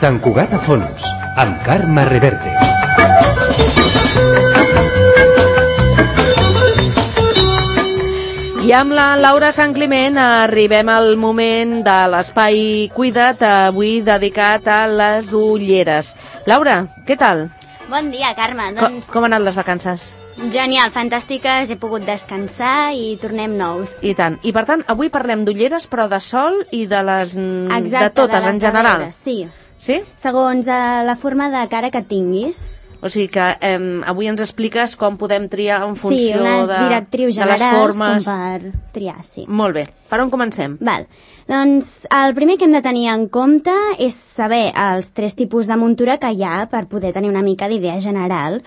Sant Cugat a fons, amb Carme Reverte. I amb la Laura Sant Climent arribem al moment de l'espai Cuida't, avui dedicat a les ulleres. Laura, què tal? Bon dia, Carme. Com han anat les vacances? Genial, fantàstiques, he pogut descansar i tornem nous. I tant. I per tant, avui parlem d'ulleres, però de sol i de les... Exacte, de totes, en general. Sí. Sí? Segons la forma de cara que tinguis. O sigui que avui ens expliques com podem triar en funció unes directrius de les formes. com per triar, sí. Molt bé. Per on comencem? Val. Doncs el primer que hem de tenir en compte és saber els 3 tipus de muntura que hi ha per poder tenir una mica d'idea general.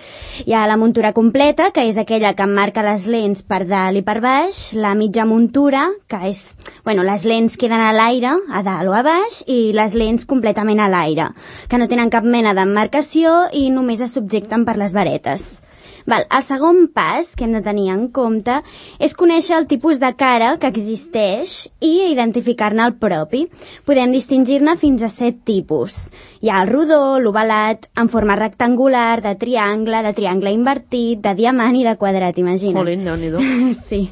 Hi ha la muntura completa, que és aquella que emmarca les lents per dalt i per baix, la mitja muntura, que és, les lents queden a l'aire, a dalt o a baix, i les lents completament a l'aire, que no tenen cap mena d'emmarcació i només es subjecten per les varetes. El segon pas que hem de tenir en compte és conèixer el tipus de cara que existeix i identificar-ne el propi. Podem distingir-ne fins a 7 tipus. Hi ha el rodó, l'ovalat, en forma rectangular, de triangle invertit, de diamant i de quadrat, imagina't. Molt lindo, Déu-n'hi-do. Sí.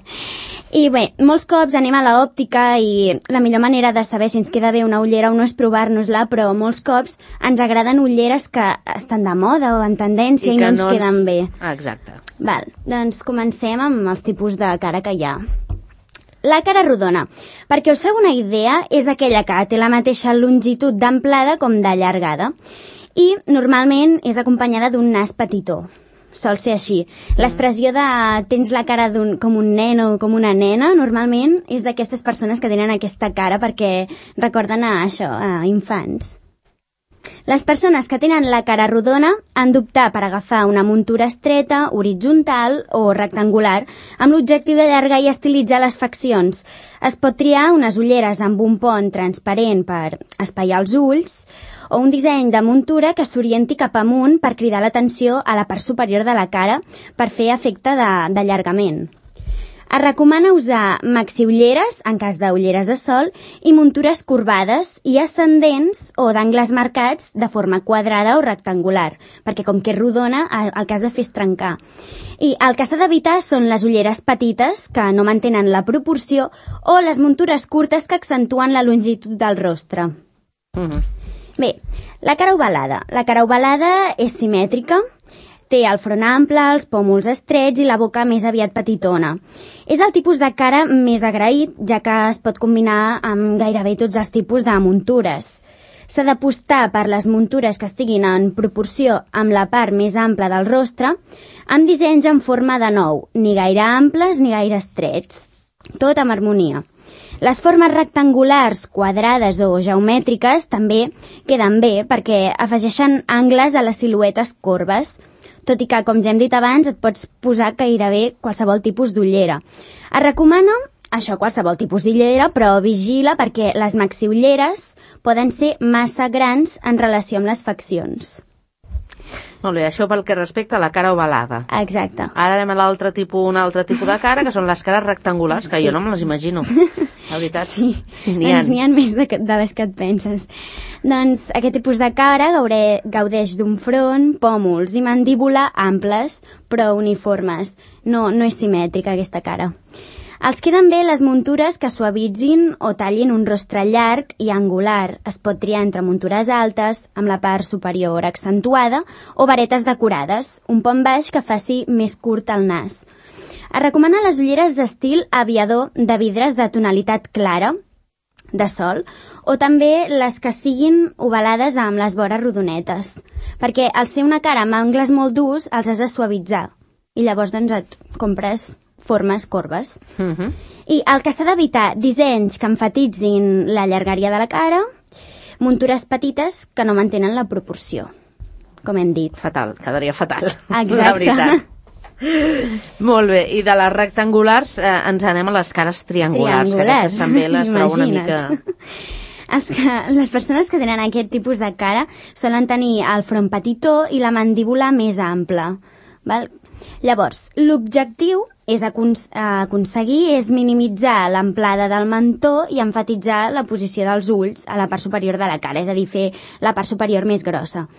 I bé, molts cops anem a l'òptica i la millor manera de saber si ens queda bé una ullera o no és provar-nos-la, però molts cops ens agraden ulleres que estan de moda o en tendència i no ens queden bé. Exacte. Doncs comencem amb els tipus de cara que hi ha. La cara rodona. Perquè us feu una idea, és aquella que té la mateixa longitud d'amplada com de llargada i normalment és acompanyada d'un nas petitó. Sol ser així. L'expressió de tens la cara com un nen o com una nena, normalment és d'aquestes persones que tenen aquesta cara perquè recorden a infants. Les persones que tenen la cara rodona han d'optar per agafar una muntura estreta, horitzontal o rectangular amb l'objectiu d'allargar i estilitzar les faccions. Es pot triar unes ulleres amb un pont transparent per espaiar els ulls o un disseny de muntura que s'orienti cap amunt per cridar l'atenció a la part superior de la cara per fer efecte d'allargament. Es recomana usar maxiulleres, en cas d'ulleres de sol, i muntures corbades i ascendents o d'angles marcats de forma quadrada o rectangular, perquè com que és rodona, el que has de fer és trencar. I el que s'ha d'evitar són les ulleres petites, que no mantenen la proporció, o les muntures curtes que accentuen la longitud del rostre. Bé, la cara ovalada. La cara ovalada és simètrica, té el front ample, els pòmuls estrets i la boca més aviat petitona. És el tipus de cara més agraït, ja que es pot combinar amb gairebé tots els tipus de muntures. S'ha d'apostar per les muntures que estiguin en proporció amb la part més ampla del rostre, amb dissenys en forma de nou, ni gaire amples ni gaire estrets. Tot amb harmonia. Les formes rectangulars, quadrades o geomètriques també queden bé perquè afegeixen angles a les siluetes corbes, tot i que, com ja hem dit abans, et pots posar gairebé qualsevol tipus d'ullera. Es recomana qualsevol tipus d'ullera, però vigila perquè les maxiulleres poden ser massa grans en relació amb les faccions. Molt bé, això pel que respecta a la cara ovalada. Exacte. Ara anem a un altre tipus de cara, que són les cares rectangulars, que jo no me les imagino. La veritat. Sí, n'hi ha més de les que et penses. Doncs aquest tipus de cara gaudeix d'un front, pòmuls i mandíbula amples, però uniformes. No és simètrica aquesta cara. Els queden bé les muntures que suavitzin o tallin un rostre llarg i angular. Es pot triar entre muntures altes, amb la part superior accentuada, o varetes decorades, un pont baix que faci més curt el nas. Es recomana les ulleres d'estil aviador de vidres de tonalitat clara, de sol, o també les que siguin ovalades amb les vores rodonetes, perquè al ser una cara amb angles molt durs els has de suavitzar i llavors et compres formes corbes. I el que s'ha d'evitar, dissenys que enfatitzin la llargària de la cara, muntures petites que no mantenen la proporció, com hem dit. Fatal, quedaria fatal. Exacte. La veritat. Molt bé, i de les rectangulars ens anem a les cares triangulars, que aquestes també les trobo una mica... Les persones que tenen aquest tipus de cara solen tenir el front petitó i la mandíbula més ampla. Val? Llavors, l'objectiu és aconseguir és minimitzar l'amplada del mentó i emfatitzar la posició dels ulls a la part superior de la cara, és a dir, fer la part superior més grossa.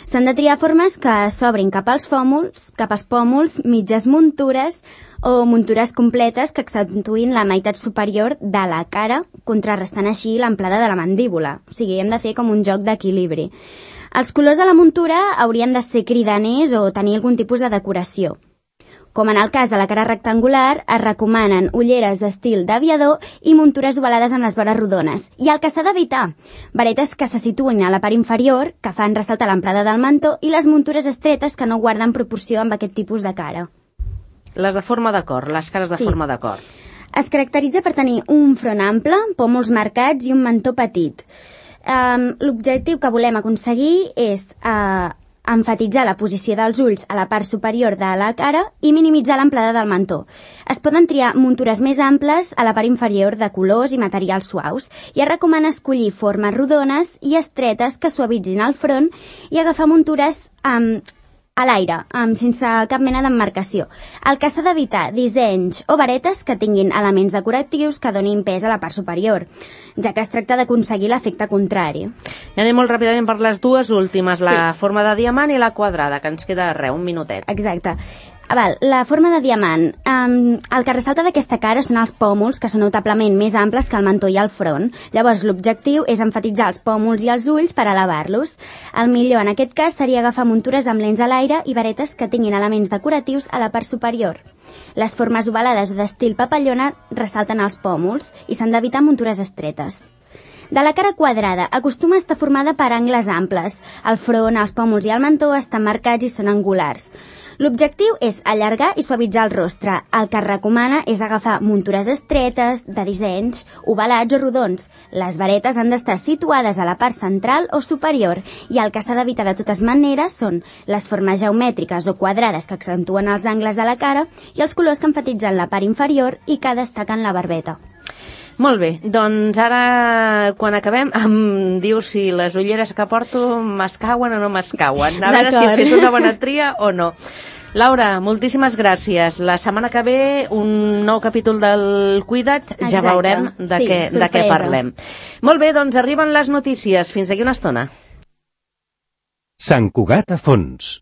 S'han de triar formes que s'obrin cap als pòmuls, mitges muntures o muntures completes que accentuïn la meitat superior de la cara, contrarrestant així l'amplada de la mandíbula. O sigui, hem de fer com un joc d'equilibri. Els colors de la muntura haurien de ser cridaners o tenir algun tipus de decoració. Com en el cas de la cara rectangular, es recomanen ulleres d'estil d'aviador i muntures ovalades en les vores rodones. I el que s'ha d'evitar, varetes que se situïn a la part inferior, que fan ressaltar l'amplada del mentó, i les muntures estretes que no guarden proporció amb aquest tipus de cara. Les de forma de cor, les cares de forma de cor. Es caracteritza per tenir un front ample, pòmuls marcats i un mentó petit. L'objectiu que volem aconseguir és emfatitzar la posició dels ulls a la part superior de la cara i minimitzar l'amplada del mentó. Es poden triar muntures més amples a la part inferior de colors i materials suaus i es recomana escollir formes rodones i estretes que suavitzin el front i agafar muntures a l'aire, sense cap mena d'emmarcació. El que s'ha d'evitar, dissenys o varetes que tinguin elements decoratius que donin pes a la part superior, ja que es tracta d'aconseguir l'efecte contrari. I anem molt ràpidament per les dues últimes, la forma de diamant i la quadrada, que ens queda un minutet. Exacte. La forma de diamant. El que ressalta d'aquesta cara són els pòmuls, que són notablement més amples que el mentó i el front. Llavors, l'objectiu és emfatitzar els pòmuls i els ulls per elevar-los. El millor en aquest cas seria agafar muntures amb lents a l'aire i varetes que tinguin elements decoratius a la part superior. Les formes ovalades o d'estil papallona ressalten els pòmuls i s'han d'evitar muntures estretes. De la cara quadrada, acostuma a estar formada per angles amples. El front, els pòmuls i el mentó estan marcats i són angulars. L'objectiu és allargar i suavitzar el rostre. El que es recomana és agafar muntures estretes, de dissenys, ovalats o rodons. Les varetes han d'estar situades a la part central o superior i el que s'ha d'evitar de totes maneres són les formes geomètriques o quadrades que accentuen els angles de la cara i els colors que enfatitzen la part inferior i que destaquen la barbeta. Molt bé, doncs ara, quan acabem, em dius si les ulleres que porto m'escauen o no m'escauen. A veure si he fet una bona tria o no. Laura, moltíssimes gràcies. La setmana que ve, un nou capítol del Cuida't, ja veurem de què parlem. Molt bé, doncs arriben les notícies. Fins aquí una estona. Sant Cugat a fons.